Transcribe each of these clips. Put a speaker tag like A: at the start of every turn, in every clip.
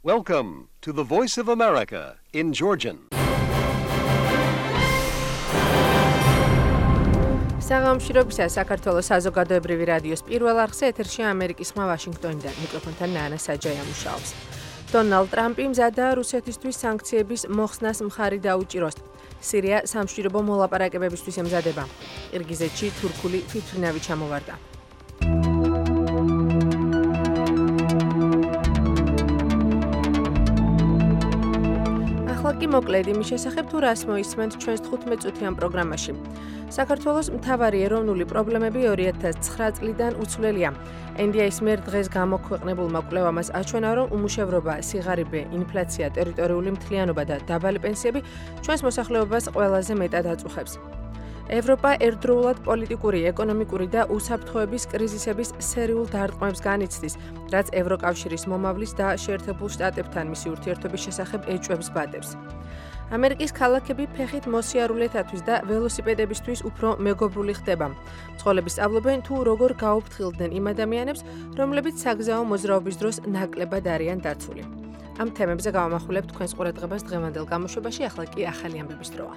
A: Welcome to the Voice of America in Georgian.
B: საღამოშრობისა საქართველოს საზოგადოებრივი რადიოს პირველ არხზე ეთერშია ამერიკის ხმა ვაშინგტონიდან. მიკროფონთან ნანა საჯაია მუშაობს. დონალდ ტრამპი მზადაა რუსეთისთვის სანქციების მოხსნას მხარი დაუჭიროს. სირია სამშვიდობო მოლაპარაკებებისთვის ემზადება. ყირგიზეთში თურქული თვითმფრინავი ჩამოვარდა. ახლა კი მოკლედ იმის შესახებ თუ რას მოისმენთ ჩვენს 15 წუთიან პროგრამაში. საქართველოს მთავარი ეროვნული პრობლემები 2009 წლიდან უცვლელია. NDI-ის მიერ დღეს გამოქვეყნებულმა კვლევამ აჩვენა, რომ უმუშევრობა, სიღარიბე, ინფლაცია, ტერიტორიული მთლიანობა და დაბალი პენსიები ჩვენს მოსახლეობას ყველაზე მეტად აწუხებს. ევროპა ერთდროულად პოლიტიკური, ეკონომიკური და უსაფრთხოების კრიზისების სერიულ დარტყმებს განიცდის, რაც ევროკავშირის მომავლის და შეერთებულ შტატებთან მისი ურთიერთობის შესახებ ეჭვებს ბადებს. ამერიკის ქალაქები ფეხით მოსიარულეთათვის და ველოსიპედებისთვის უფრო მეგობრული ხდება. მძღოლები სწავლობენ თუ როგორ გაუფრთხილდნენ იმ ადამიანებს, რომლებიც საგზაო მოძრაობის დროს ნაკლებად არიან დაცული. ამ თემებზე გავამახვილებთ თქვენს ყურადღებას დღევანდელ გამოშვებაში, ახლა კი ახალი ამბების დროა.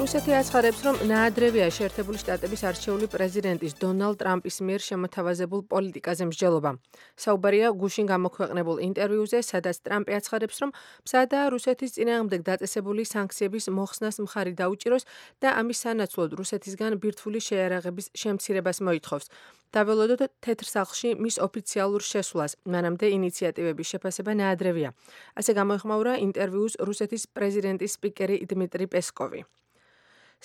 B: რუსეთი აცხადებს, რომ ნაადრევია შეერთებული შტატების არჩეული პრეზიდენტის დონალდ ტრამპის მიერ შემოთავაზებულ პოლიტიკაზე მსჯელობა. საუბარია გუშინ გამოქვეყნებულ ინტერვიუზე, სადაც ტრამპი აცხადებს, რომ მზადაა რუსეთის წინააღმდეგ დაწესებული სანქციების მოხსნას მხარი დაუჭიროს და ამის სანაცვლოდ რუსეთისგან ბირთვული შეიარაღების შემცირებას მოითხოვს. დაველოდოთ თეთრ სახლში მის ოფიციალურ შესვლას, მანამდე ინიციატივების შეფასება ნაადრევია. ასე გამოეხმაურა ინტერვიუს რუსეთის პრეზიდენტის სპიკერი დმიტრი პესკოვი.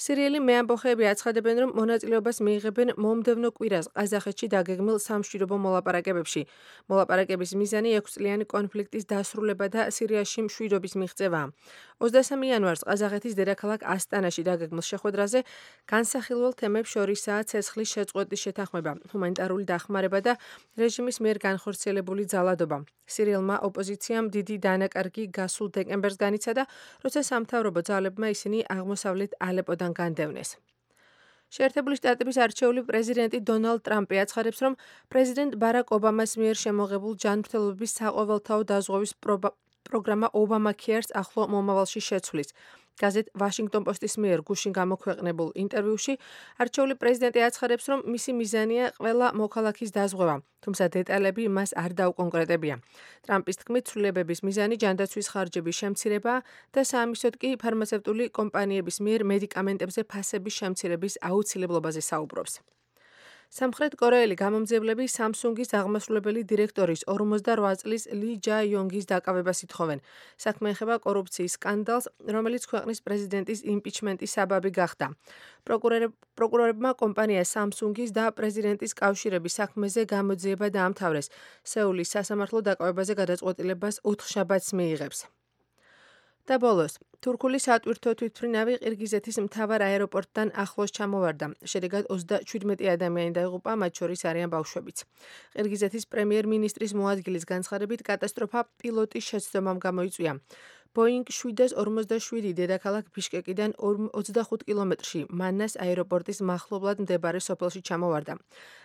B: სირიელი მეამბოხეები აცხადებენ, რომ მონაწილეობას მიიღებენ მომდევნო კვირას ყაზახეთში დაგეგმილ სამშვიდობო მოლაპარაკებებში. მოლაპარაკების მიზანი 6 წლიანი კონფლიქტის დასრულება და სირიაში მშვიდობის მიღწევაა. 23 იანვარს ყაზახეთის დედაქალაქ ასტანაში დაგეგმილ შეხვედრაზე განსახილველ თემებს შორისაა ცეცხლის შეწყვეტის შეთანხმება, ჰუმანიტარული დახმარება და რეჟიმის მიერ განხორციელებული ძალადობა. სირიელმა ოპოზიციამ დიდი დანაკარგი გასულ დეკემბერს განიცადა, როცა სამთავრობო ძალებმა ისინი აღმოსავლეთ ალეპოდან განდევნეს. შეერთებული შტატების არჩეული პრეზიდენტი დონალდ ტრამპი აცხადებს, რომ პრეზიდენტ ბარაკ ობამას მიერ შემოღებულ ჯანმრთელობის საყოველთაო დაზღვევის პროგრამა ობამა ქიერს ახლო მომავალში შეცვლის. გაზეთ ვაშინგტონ პოსტის მიერ გუშინ გამოქვეყნებულ ინტერვიუში არჩეული პრეზიდენტი აცხადებს, რომ მისი მიზანია ყველა მოქალაქის დაზღვევა, თუმცა დეტალები მას არ დაუკონკრეტებია. ტრამპის თქმით, ცვლილებების მიზანი ჯანდაცვის ხარჯების შემცირებაა და საამისოდ კი ფარმაცევტული კომპანიების მიერ მედიკამენტებზე ფასების შემცირების აუცილებლობაზე საუბრობს. სამხრეთ კორეელი გამომძიებლები სამსუნგის აღმასრულებელი დირექტორის 48 წლის ალი ჯაიონგის დაკავებას ითხოვენ. საქმე ეხება კორუფციის სკანდალს, რომელიც ქვეყნის პრეზიდენტის იმპიჩმენტის საბაბი გახდა. პროკურორებმა კომპანია სამსუნგის და პრეზიდენტის კავშირების საქმეზე გამოძიება დაამთავრეს. სეულის სასამართლო დაკავებაზე გადაწყვეტილებას 4 შაბათს მიიღებს. და ბოლოს, თურქული სატვირთო თვითმფრინავი ყირგიზეთის მთავარ აეროპორტთან ახლოს ჩამოვარდა. შედეგად 37 ადამიანი დაიღუპა, მათ შორის არიან ბავშვებიც. ყირგიზეთის პრემიერ-მინისტრის მოადგილის განცხადებით, კატასტროფა პილოტის შეცდომამ გამოიწვია. ბოინგ 747 დედაქალაქ ბიშკეკიდან 25 კილომეტრში მანას აეროპორტის მახლობლად მდებარე სოფელში ჩამოვარდა.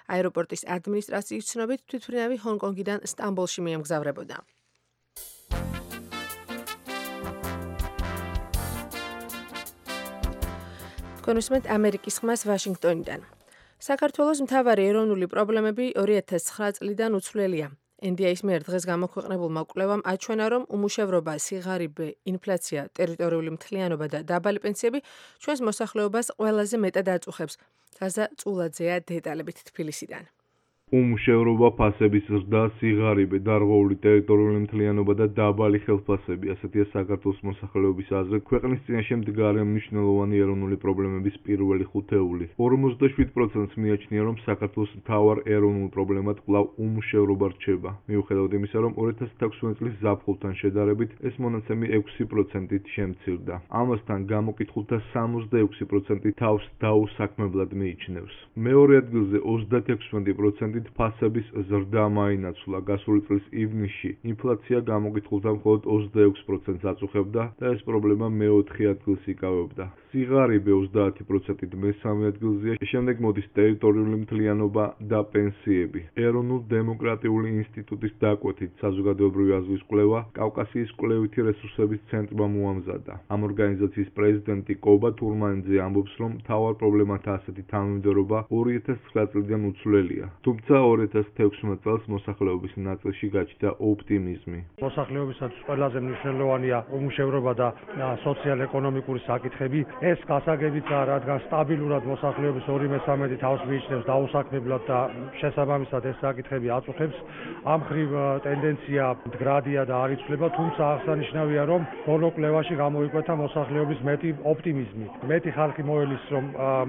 B: აეროპორტის ადმინისტრაციის ცნობით, თვითმფრინავი ჰონკონგიდან სტამბოლში მიემგზავრებოდა. კონსუმენტ ამერიკის ხმას ვაშინგტონიდან. საქართველოს მთავარი ეროვნული პრობლემები 2009 წლიდან უცვლელია. NDI-ის მიერ დღეს გამოქვეყნებულმა კვლევამ აჩვენა, რომ უმუშევრობა, სიღარიბე, ინფლაცია, ტერიტორიული მთლიანობა და დაბალი პენსიები ჩვენს მოსახლეობას ყველაზე მეტად აწუხებს. რაზა წულაძეა დეტალებით თბილისიდან.
C: უმუშევრობა, ფასების ზრდა, სიღარიბე, დარღვეული ტერიტორიული მთლიანობა და დაბალი ხელფასები, ასეთია საქართველოს მოსახლეობის აზრით ქვეყნის წინაშე მდგარი მნიშვნელოვანი ეროვნული პრობლემების პირველი ხუთეული. 47%-ს მიაჩნია, რომ საქართველოს მთავარ ეროვნულ პრობლემად კვლავ უმუშევრობა რჩება. მიუხედავად იმისა, რომ 2016 წლის ზაფხულთან შედარებით ეს მონაცემი 6%-ით შემცირდა. ამასთან გამოკითხულთა 66% თავს დაუსაქმებლად მიიჩნევს. მეორე ადგილზე 36% ფასების ზრდა მაინაცვლა. გასული წლის ივნისში ინფლაცია გამოკითხულთა მხოლოდ 26%-ს აწუხებდა და ეს პრობლემა მე-4 ადგილს იკავებდა. სიღარიბე 30%-ით მესამე ადგილზეა, შემდეგ მოდის ტერიტორიული მთლიანობა და პენსიები. ეროვნულ დემოკრატიული ინსტიტუტის დაკვეთით საზოგადოებრივი აზრის კვლევა კავკასიის კვლევითი რესურსების ცენტრმა მოამზადა. ამ ორგანიზაციის პრეზიდენტი კობა თურმანიძე ამბობს, რომ მთავარ პრობლემათა ასეთი თანმიმდევრობა 2009 წლიდან უცვლელია. თუმცა 2016 წელს მოსახლეობის ნაწილში გაჩნდა ოპტიმიზმი.
D: მოსახლეობისათვის ყველაზე მნიშვნელოვანია უმუშევრობა და სოციალ-ეკონომიკური საკითხები. ეს გასაგებიცაა, რადგან სტაბილურად მოსახლეობის 2/3 თავს მიიჩნევს დაუსაქმებლად და შესაბამისად ეს საკითხები აწუხებს. ამ ხრივ ტენდენცია მდგრადია და არ იცვლება, თუმცა აღსანიშნავია, რომ ბოლო კვლევაში გამოიკვეთა მოსახლეობის მეტი ოპტიმიზმი. მეტი ხალხი მოელის, რომ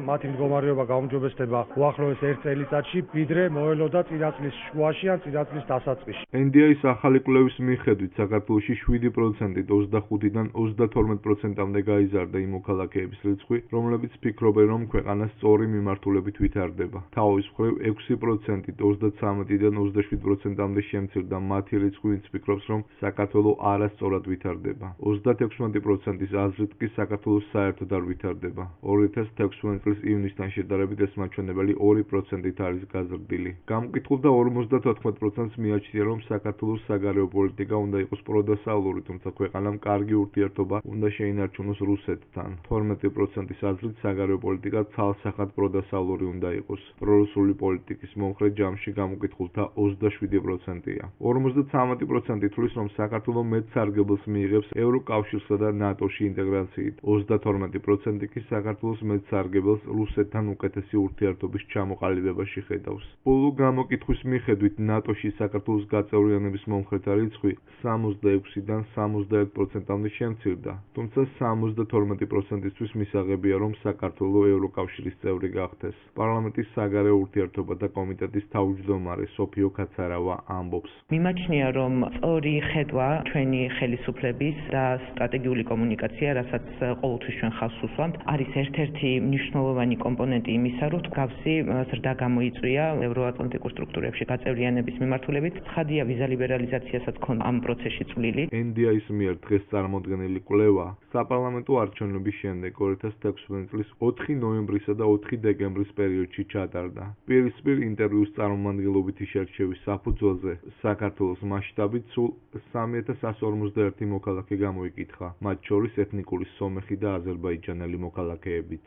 D: მათი მდგომარეობა გაუმჯობესდება უახლოეს 1 წელიწადში, ვიდრე მოელოდა წინა წლის შუაში ან წინა წლის დასაწყისში.
C: NDI-ის ახალი კვლევის მიხედვით საქართველოში 7%-ით 25-დან 32%-მდე გაიზარდა იმ მოქალაქეების რიცხვი, რომლებიც ფიქრობენ, რომ ქვეყანა სწორი მიმართულებით ვითარდება. თავის მხრივ 6%-ით 33-დან 27%-მდე შემცირდა მათი რიცხვი, ვინც ფიქრობს, რომ საქართველო არასწორად ვითარდება. 36%-ის აზრით კი საქართველო საერთოდ არ ვითარდება. 2016 წლის ივნისთან შედარებით ეს მაჩვენებელი 2%-ით არის გაზრდილი. გამკითხულ და 54%-ს მიაჩნია, რომ საქართველოს საგარეო პოლიტიკა უნდა იყოს პროდასავლური, თუმცა ქვეყანამ კარგი ურთიერთობა უნდა შეინარჩუნოს რუსეთთან. 12%-ის აზრით საგარეო პოლიტიკა ცალსახად პროდასავლური უნდა იყოს. პრორუსული პოლიტიკის მომხრე ჯამში გამოკითხულთა 27%-ია. 53% თვლის, რომ საქართველო მეტ სარგებელს მიიღებს ევროკავშირსა და ნატოში ინტეგრაციით. 32% კი საქართველოს მეტ სარგებელს რუსეთთან უკეთესი ურთიერთობის ჩამოყალიბებაში ხედავს. ბოლო გამოკითხვის მიხედვით ნატოში საქართველოს გაწევრიანების მომხრეთა რიცხვი 66-დან 71%-მდე შემცირდა, თუმცა 72%-ისთვის მისაღებია, რომ საქართველო ევროკავშირის წევრი გახდეს. პარლამენტის საგარეო ურთიერთობათა კომიტეტის თავმჯდომარე სოფიო კაცარავა ამბობს.
E: მიმაჩნია, რომ სწორი ხედვა ჩვენი ხელისუფლების და სტრატეგიული კომუნიკაცია, რასაც ყოველთვის ჩვენ ხაზს უსვამთ, არის ერთ-ერთი მნიშვნელოვანი კომპონენტი იმისა, რომ მსგავსი ზრდა გამოიწვია ევროატლანტიკურ სტრუქტურებში გაწევრიანების მიმართულებით. ცხადია, ვიზა ლიბერალიზაციასაც ჰქონდა ამ პროცესში წვლილი.
C: NDI-ის მიერ დღეს წარმოდგენილი კვლევა საპარლამენტო არჩევნების შემდეგ 2016 წლის 4 ნოემბრისა და 4 დეკემბრის პერიოდში ჩატარდა. პირისპირ ინტერვიუს წარმომადგენლობითი შერჩევის საფუძველზე საქართველოს მასშტაბით სულ 3141 მოქალაქე გამოიკითხა, მათ შორის ეთნიკური სომეხი და აზერბაიჯანელი მოქალაქეებიც.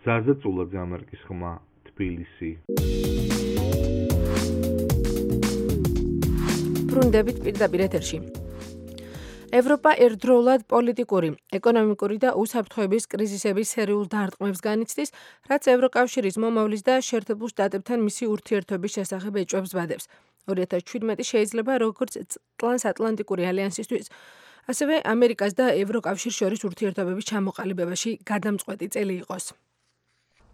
C: ზაზა წულაძე, ამერიკის ხმა, თბილისი.
B: ბრუნდებით პირდაპირ ეთერში. ევროპა ერთდროულად პოლიტიკური, ეკონომიკური და უსაფრთხოების კრიზისების სერიულ დარტყმებს განიცდის, რაც ევროკავშირის მომავლის და შეერთებულ შტატებთან მისი ურთიერთობის შესახებ ეჭვებს ბადებს. 2017 შეიძლება როგორც ტრანსატლანტიკური ალიანსისთვის, ასევე ამერიკას და ევროკავშირს შორის ურთიერთობების ჩამოყალიბებაში გადამწყვეტი წელი იყოს.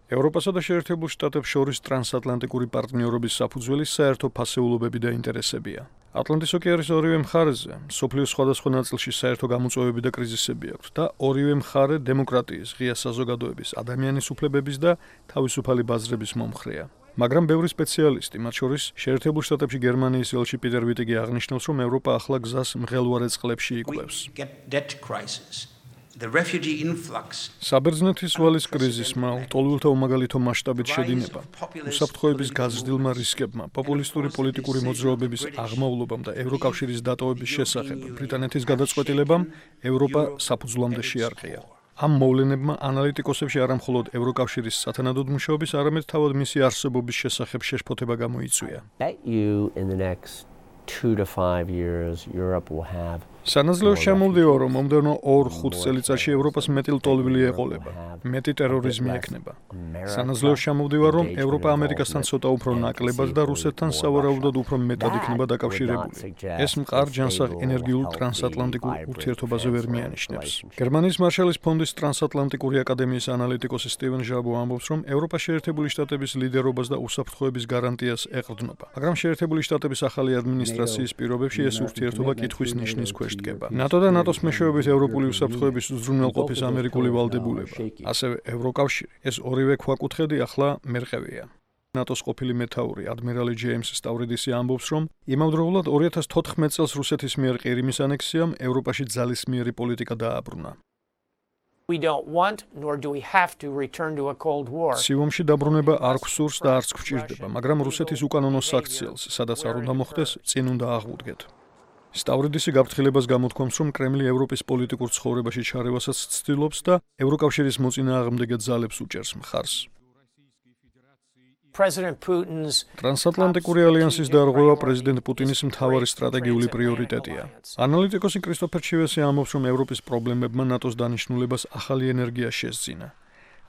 F: ევროპასა და შეერთებულ შტატებს შორის ტრანსატლანტიკური პარტნიორობის საფუძველი საერთო ფასეულობები და ინტერესებია. ატლანტის ოკეანის ორივე მხარეზე მსოფლიოს სხვადასხვა ნაწილში საერთო გამოწვევები და კრიზისები აქვს და ორივე მხარე დემოკრატიის, ღია საზოგადოების, ადამიანის უფლებების და თავისუფალი ბაზრების მომხრეა. მაგრამ ბევრი სპეციალისტი, მათ შორის შეერთებულ შტატებში გერმანიის ელჩი პიტერ ვიტიგი აღნიშნავს, რომ ევროპა ახლა გზას მღელვარე წყლებში იკვლევს. საბერძნეთის ვალის კრიზისმა, ლტოლვილთა უმაგალითო მასშტაბით შედინება, უსაფრთხოების გაზრდილმა რისკებმა, პოპულისტური პოლიტიკური მოძრაობების აღმავლობამ და ევროკავშირის დატოვების შესახებ ბრიტანეთის გადაწყვეტილებამ ევროპა საფუძვლამდე შეარყია. ამ მოვლენებმა ანალიტიკოსებში არამხოლოდ ევროკავშირის სათანადოდ მუშაობის, არამედ თავად მისი არსებობის შესახებ შეშფოთება გამოიწვია. სანაძლეო შემოვდივა, რომ მომდევნო 2-5 წელიწადში ევროპას მეტი ლტოლვილი ეყოლება, მეტი ტერორიზმი ექნება. სანაძლეო შემოვდივა, რომ ევროპა ამერიკასთან ცოტა უფრო ნაკლებად და რუსეთთან სავარაუდოდ უფრო მეტად იქნება დაკავშირებული. ეს მყარ ჯანსაღ ენერგიულ ტრანსატლანტიკურ ურთიერთობაზე ვერ მიანიშნებს. გერმანიის მარშალის ფონდის ტრანსატლანტიკური აკადემიის ანალიტიკოსი სტივენ ჟაბო ამბობს, რომ ევროპა შეერთებული შტატების ლიდერობას და უსაფრთხოების გარანტიას ეყრდნობა. მაგრამ შეერთებული შტატების ახალი ადმინისტრაციის პირობებში ეს ურთიერთობა კითხვის ნიშნის ქვეშ დგება. ნატო და ნატოს მეშვეობით ევროპული უსაფრთხოების უზრუნველყოფის ამერიკული ვალდებულება, ასევე ევროკავშირი, ეს ორივე ქვაკუთხედი ახლა მერყევია. ნატოს ყოფილი მეთაური ადმირალი ჯეიმს სტავრიდისი ამბობს, რომ იმავდროულად 2014 წელს რუსეთის მიერ ყირიმის ანექსიამ ევროპაში ძალისმიერი პოლიტიკა დააბრუნა.
G: We don't want, nor do we have to return to a Cold War.
F: სიომში დაბრუნება არ გვსურს და არც გვჭირდება, მაგრამ რუსეთის უკანონო საქციელს, სადაც არ უნდა მოხდეს, წინ უნდა აღვუდგეთ. სტავრიდისი გაფრთხილებას გამოთქვამს, რომ კრემლი ევროპის პოლიტიკურ ცხოვრებაში ჩარევასაც ცდილობს და ევროკავშირის მოწინააღმდეგე ძალებს უჭერს მხარს.
G: President Putin's
F: ტრანსატლანტიკური ალიანსის დარღვევა პრეზიდენტ პუტინის მთავარი სტრატეგიული პრიორიტეტია. ანალიტიკოსი კრისტოფერ ჩივესი ამბობს, რომ ევროპის პრობლემებმა ნატოს დანიშნულებას ახალი ენერგია შესძინა.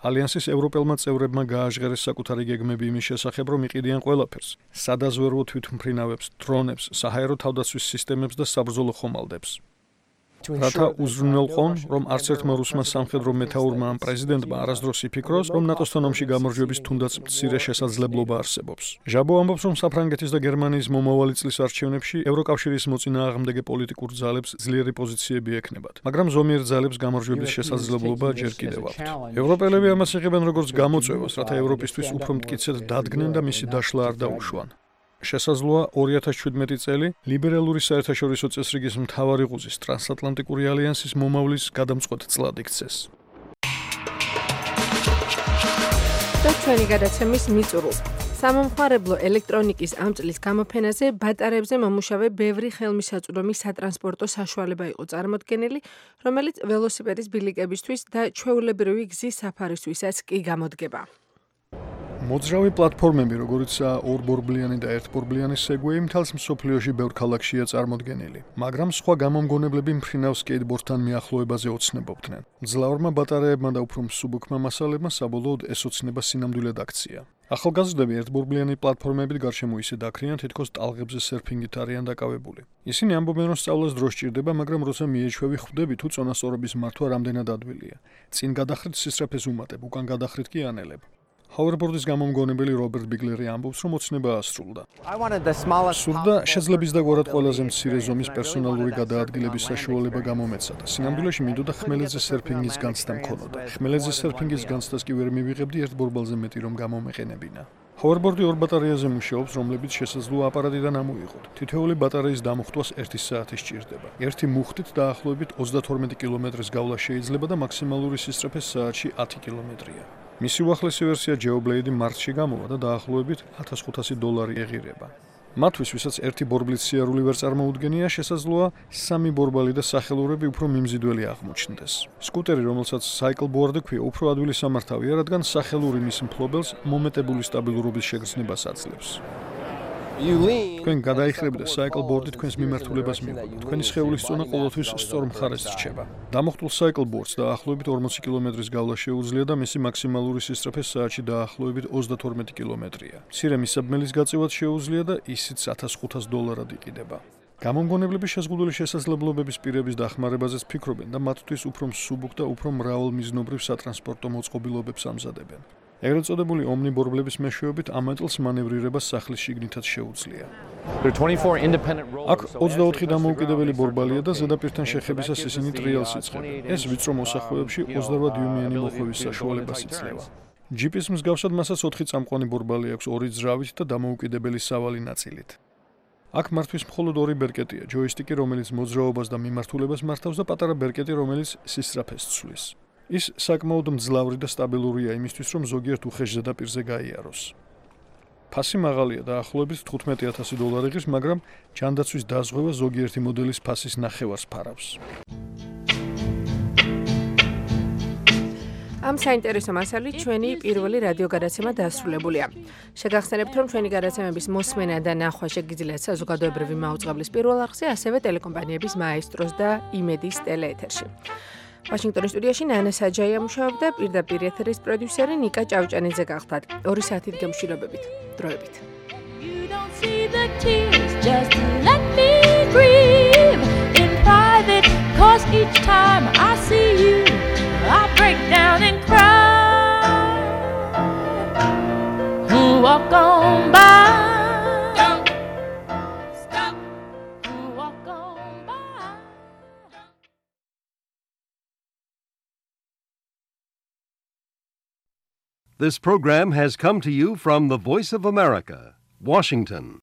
F: ალიანსის ევროპელმა წევრებმა გააჟღერეს საკუთარი გეგმები იმის შესახებ, რომ იყიდიან ყველაფერს: სადაზვერვო თვითმფრინავებს, დრონებს, საჰაერო თავდაცვის სისტემებს და საბრძოლო ხომალდებს. რათა უზრუნველყონ, რომ არც ერთმა რუსმა სამხედრო მეთაურმა ან პრეზიდენტმა არასდროს იფიქროს, რომ ნატოსთან ომში გამარჯვების თუნდაც მცირე შესაძლებლობა არსებობს. ჟაბო ამბობს, რომ საფრანგეთის და გერმანიის მომავალი წლის არჩევნებში ევროკავშირის მოწინააღმდეგე პოლიტიკურ ძალებს ძლიერი პოზიციები ექნებათ, მაგრამ ზომიერ ძალებს გამარჯვების შესაძლებლობა ჯერ კიდევ აქვთ. ევროპელები ამას იღებენ როგორც გამოწვევას, რათა ევროპისთვის უფრო მტკიცედ დადგნენ და მისი დაშლა არ დაუშვან. შესაძლოა 2017 წელი ლიბერალური საერთაშორისო წესრიგის მთავარი ღუზის ტრანსატლანტიკური ალიანსის მომავლის გადამწყვეტ წლად იქცეს.
B: და ჩვენი გადაცემის მიწურულს. სამომხმარებლო ელექტრონიკის ამ წლის გამოფენაზე ბატარეებზე მომუშავე ბევრი ხელმისაწვდომი სატრანსპორტო საშუალება იყო წარმოდგენილი, რომელიც ველოსიპედის ბილიკებისთვის და ჩვეულებრივი გზის საფარისთვისაც კი გამოდგება.
F: მოძრავი პლატფორმები, როგორიცაა ორბორბლიანი და ერთბორბლიანი სეგვეი, მთელს მსოფლიოში ბევრ ქალაქშია წარმოდგენილი, მაგრამ სხვა გამომგონებლები მფრინავ სკეიტბორდთან მიახლოებაზე ოცნებობდნენ. მძლავრმა ბატარეებმა და უფრო მსუბუქმა მასალებმა საბოლოოდ ეს ოცნება სინამდვილედ აქცია. ახალგაზრდები ერთბორბლიანი პლატფორმებით გარშემო ისე დაქრიან, თითქოს ტალღებზე სერფინგით არიან დაკავებული. ისინი ამბობენ, რომ სწავლას დრო სჭირდება, მაგრამ როცა მიეჩვევი ხვდები, თუ წონასწორობის მართვა რამდენად ადვილია. წინ გადახრით სისწრაფეს უმატებ, უკან გადახრით კი ანელებ. ჰაუერბორდის გამომგონებელი რობერტ ბიგლერი ამბობს, რომ ოცნება ასრულდა. სურდა შეძლების და გვარად ყველაზე მცირე ზომის პერსონალური გადაადგილების საშუალება გამომეცა და სინამდვილეში მინდოდა ხმელეთზე სერფინგის განცდა მქონოდა. ხმელეთზე სერფინგის განცდას კი ვერ მივიღებდი ერთ ბორბალზე მეტი რომ გამომეყენებინა. ჰაუერბორდი ორ ბატარეაზე მუშაობს, რომლებიც შესაძლოა აპარატიდან ამოიღოთ. თითოეული ბატარეის დამუხტვას 1 საათი სჭირდება. ერთი მუხტით დაახლოებით 32 კილომეტრის გავლა შეიძლება და მაქსიმალური სისწრაფე საათში 10 კილომეტრია. მისი უახლესი ვერსია Geoblade მარტში გამოვა და დაახლოებით $1500 ეღირება. მათთვის, ვისაც ერთი ბორბლით სიარული ვერ წარმოუდგენია, შესაძლოა 3 ბორბალი და სახელურები უფრო მიმზიდველი აღმოჩნდეს. სკუტერი, რომელსაც cycleboard ქვია, უფრო ადვილი სამართავია, რადგან სახელური მის მფლობელს მომეტებული სტაბილურობის შეგრძნებას აძლევს. თქვენ გადაიხრებით და cycleboard-ი თქვენს მიმართულებას მიუყვება. თქვენი სხეულის წონა ყოველთვის სწორ მხარეს რჩება. დამუხტულ cycleboard-ს დაახლოებით 40 კილომეტრის გავლა შეუძლია და მისი მაქსიმალური სისწრაფე საათში დაახლოებით 32 კილომეტრია. მცირე მისაბმელის გაწევად შეუძლია და ისიც $1500 იყიდება. გამომგონებლები შეზღუდული შესაძლებლობების პირების დახმარებაზეც ფიქრობენ და მათთვის უფრო მსუბუქ და უფრო მრავალმიზნობრივ სატრანსპორტო მოწყობილობებს ამზადებენ. ეგრეთ წოდებული ომნიბორბლების მეშვეობით ამატლს მანევრირება სახლის შიგნითაც შეუძლია. აქ 24 დამოუკიდებელი ბორბალია და ზედაპირთან შეხებისას ისინი ტრიალს იწყებენ. ეს ვიწრო მოსახვეებში 28 დიუმიანი მოხვევის საშუალებას იძლევა. ჯიპის მსგავსად მასაც 4 წამყვანი ბორბალი აქვს 2 ძრავით და დამოუკიდებელი სავალი ნაწილით. აქ მართვის მხოლოდ 2 ბერკეტია, ჯოისტიკი, რომელიც მოძრაობას და მიმართულებას მართავს და პატარა ბერკეტი, რომელიც სისწრაფეს ცვლის. ის საკმაოდ მძლავრი და სტაბილურია იმისთვის, რომ ზოგიერთ უხეშ ზედაპირზე გაიაროს. ფასი მაღალია და ახლობებით $15,000 იღებს, მაგრამ ჯანდაცვის დაზღვევა ზოგიერთი მოდელის ფასის ნახევარს ფარავს.
B: ამ საინტერესო მასალით ჩვენი პირველი რადიო გადაცემა დასრულებულია. შეგახსენებთ, რომ ჩვენი გადაცემების მოსმენა და ნახვა შეგიძლიათ საზოგადოებრივი მაუწყებლის პირველ არხზე, ასევე ტელეკომპანიების მაესტროს და იმედის ტელეეთერში. ვაშინგტონის სტუდიაში ნანა საჯაია მუშაობდა, პირდაპირ ეთერის პროდიუსერი ნიკა ჭავჭანიძე გახლდათ. 2 საათით გემშვიდობებით. დროებით. You don't see the tears, just let me grieve in private, 'cause each time I see you, I break down and cry. Walk on by.
A: This program has come to you from the Voice of America, Washington.